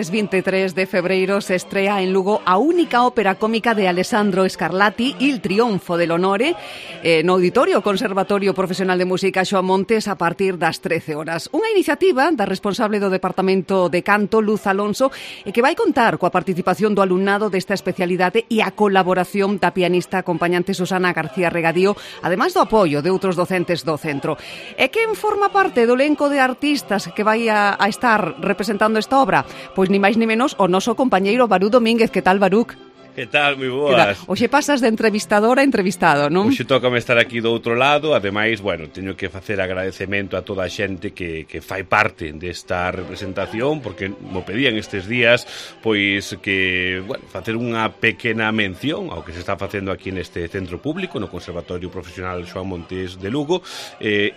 venres 23 de febreiro se estrea en Lugo a única ópera cómica de Alessandro Scarlatti, Il Trionfo dell'Onore, no Auditorio Conservatorio Profesional de Música Xoán Montes a partir das 13 horas. Unha iniciativa da responsable do Departamento de Canto, Luz Alonso, e que vai contar coa participación do alumnado desta especialidade e a colaboración da pianista acompañante Susana García Regadío, ademais do apoio de outros docentes do centro. E quen forma parte do elenco de artistas que vai a estar representando esta obra? Pois ni máis ni menos o noso compañeiro Barú Domínguez. Que tal, Barúc? Que tal, moi boas. Oxe pasas de entrevistador a entrevistado, non? Oxe tócame estar aquí do outro lado. Ademais, bueno, teño que facer agradecemento a toda a xente que fai parte desta representación, porque mo pedían estes días, pois que, bueno, facer unha pequena mención ao que se está facendo aquí neste centro público, no Conservatorio Profesional Xoán Montes de Lugo.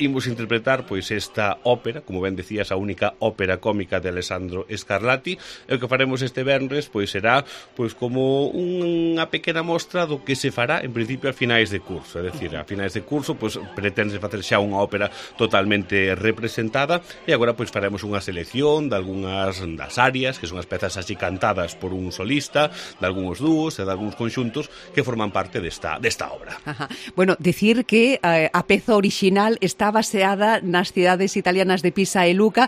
Imos interpretar, pois, esta ópera, como ben decías, a única ópera cómica de Alessandro Scarlatti. E o que faremos este venres, pois, será, pois, como unha pequena mostra do que se fará en principio a finais de curso, é dicir, a finais de curso pois pretende facer xa unha ópera totalmente representada e agora pois faremos unha selección de algunhas das áreas, que son as pezas así cantadas por un solista, de algúns dúos e de algúns conxuntos que forman parte desta obra. Ajá. Bueno, decir que a peza original está baseada nas cidades italianas de Pisa e Luca,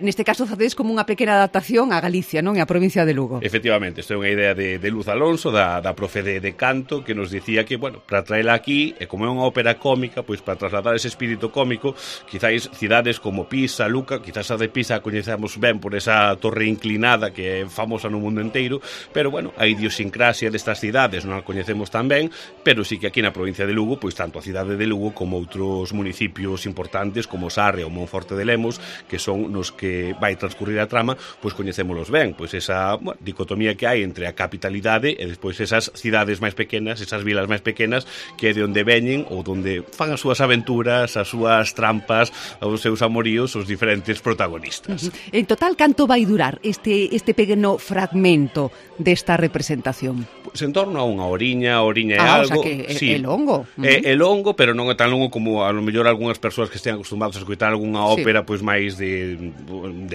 neste caso facedes como unha pequena adaptación a Galicia, non? E a provincia de Lugo. Efectivamente, isto é unha idea de Luz Alonso, da profe de canto, que nos dicía que, bueno, para traela aquí, e como é unha ópera cómica, pois para trasladar ese espírito cómico, quizáis cidades como Pisa, Luca, quizás a de Pisa a coñecemos ben por esa torre inclinada que é famosa no mundo inteiro, pero, bueno, a idiosincrasia destas cidades non a coñecemos tan ben, pero sí que aquí na provincia de Lugo, pois tanto a cidade de Lugo como outros municipios importantes como Sarria ou Monforte de Lemos, que son nos que vai transcurrir a trama, pois coñecémolos ben, pois esa, bueno, dicotomía que hai entre a capitalidade e despois esas cidades máis pequenas, esas vilas máis pequenas, que é de onde veñen ou onde fan as súas aventuras, as súas trampas, os seus amoríos, os diferentes protagonistas. En total, canto vai durar este pequeno fragmento desta representación? Pois en torno a unha oriña e O algo. sea que sí, é longo. É longo, pero non é tan longo como a lo mellor algunhas persoas que estean acostumados a escoitar algunha ópera pois máis de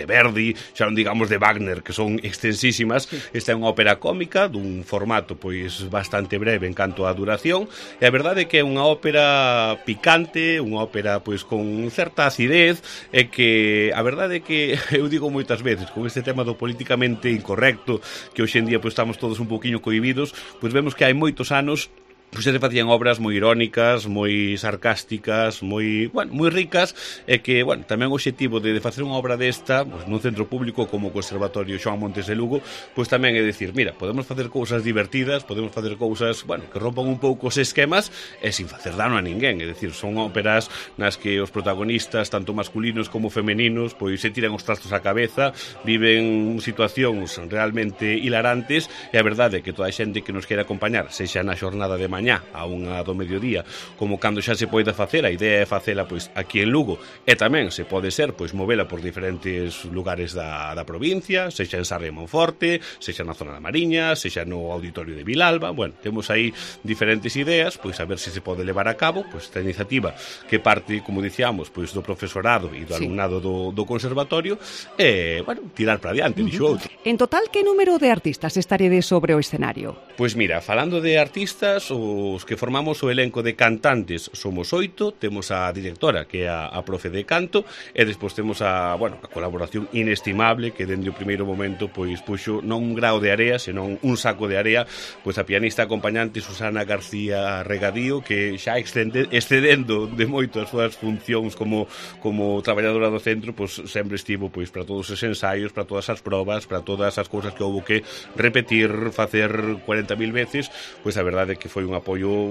Verdi, xa non digamos de Wagner, que son extensísimas. Esta é unha ópera cómica dun formato pois bastante breve en canto á duración, e a verdade é que é unha ópera picante, unha ópera pois con certa acidez, e que a verdade é que eu digo moitas veces, con este tema do políticamente incorrecto, que hoxe en día pois estamos todos un poquinho cohibidos, pois vemos que hai moitos anos pois se facían obras moi irónicas, moi sarcásticas, moi ricas, e que, bueno, tamén o obxectivo de facer unha obra desta, pois nun centro público como o Conservatorio Xoán Montes de Lugo, pois tamén é dicir, mira, podemos facer cousas divertidas, podemos facer cousas, bueno, que rompan un pouco os esquemas e sin facer dano a ninguén, é dicir, son óperas nas que os protagonistas, tanto masculinos como femeninos, pois se tiran os trastos á cabeza, viven situacións realmente hilarantes, e a verdade é que toda a xente que nos quere acompañar, sexa na xornada de mañá a unha do mediodía, como cando xa se pode facer, a idea é facela pois aquí en Lugo, e tamén se pode ser pois movela por diferentes lugares da provincia, sexa en Sarria e Monforte, sexa na zona da Mariña, sexa no Auditorio de Vilalba. Bueno, temos aí diferentes ideas, pois a ver se pode levar a cabo pois esta iniciativa que parte, como dicíamos, pois do profesorado e do alumnado do conservatorio, e, bueno, tirar para adiante, dixo outro. En total, que número de artistas estaredes sobre o escenario? Pois mira, falando de artistas, os que formamos o elenco de cantantes somos 8, temos a directora, que é a profe de canto, e despois temos a colaboración inestimable, que dende o primeiro momento pois puxo non un grao de area, senón un saco de area, pois a pianista acompañante Susana García Regadío, que xa excedendo de moito as súas funcións como traballadora do centro, pois sempre estivo pois para todos os ensaios, para todas as probas, para todas as cousas que houve que repetir, facer 40.000 veces, pois a verdade é que foi un apoio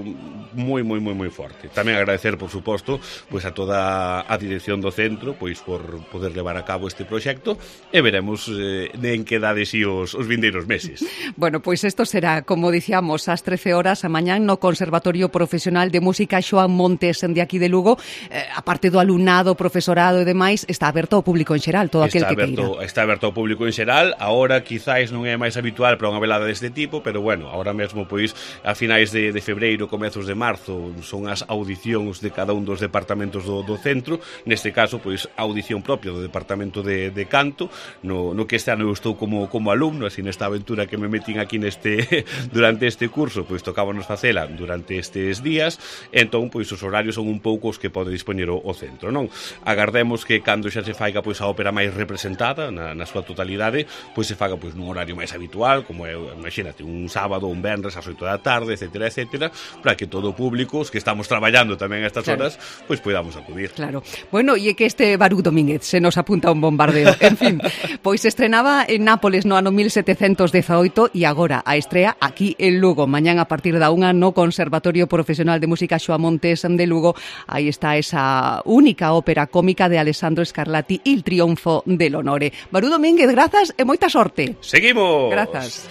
moi forte. Tamén agradecer, por suposto, pois a toda a dirección do centro, pois por poder levar a cabo este proxecto, e veremos en que dades os vindeiros meses. Bueno, pois isto será, como dicíamos, ás 13 horas a mañán no Conservatorio Profesional de Música Xoán Montes de aquí de Lugo. A parte do alumnado, profesorado e demais, está aberto ao público en xeral, todo aquel que queira. Está aberto ao público en xeral. Agora, quizáis non é máis habitual para unha velada deste tipo, pero bueno, agora mesmo, pois, a finais de de febreiro, comezos de marzo, son as audicións de cada un dos departamentos do centro. Neste caso, pois, a audición propia do departamento de canto, no que este ano eu estou como alumno, así nesta aventura que me metín aquí durante este curso, pois tocábanos facela durante estes días. Entón, pois, os horarios son un pouco os que pode dispoñer o centro, non? Agardemos que cando xa se faiga, pois, a ópera máis representada na súa totalidade, pois se faga, pois, nun horario máis habitual, como é, imagínate, un sábado, un venres ás 8 da tarde, etcétera, etcétera, para que todo o público, os que estamos traballando tamén a estas horas, pois podamos acudir. Claro. Bueno, e é que este Barú Domínguez se nos apunta un bombardeo. En fin, pois estrenaba en Nápoles no ano 1718 e agora a estrea aquí en Lugo. Mañán a partir da 1 no Conservatorio Profesional de Música Xoa Montes de Lugo. Aí está esa única ópera cómica de Alessandro Scarlatti, Il Trionfo dell'Onore. Barú Domínguez, grazas e moita sorte. Seguimos. Grazas.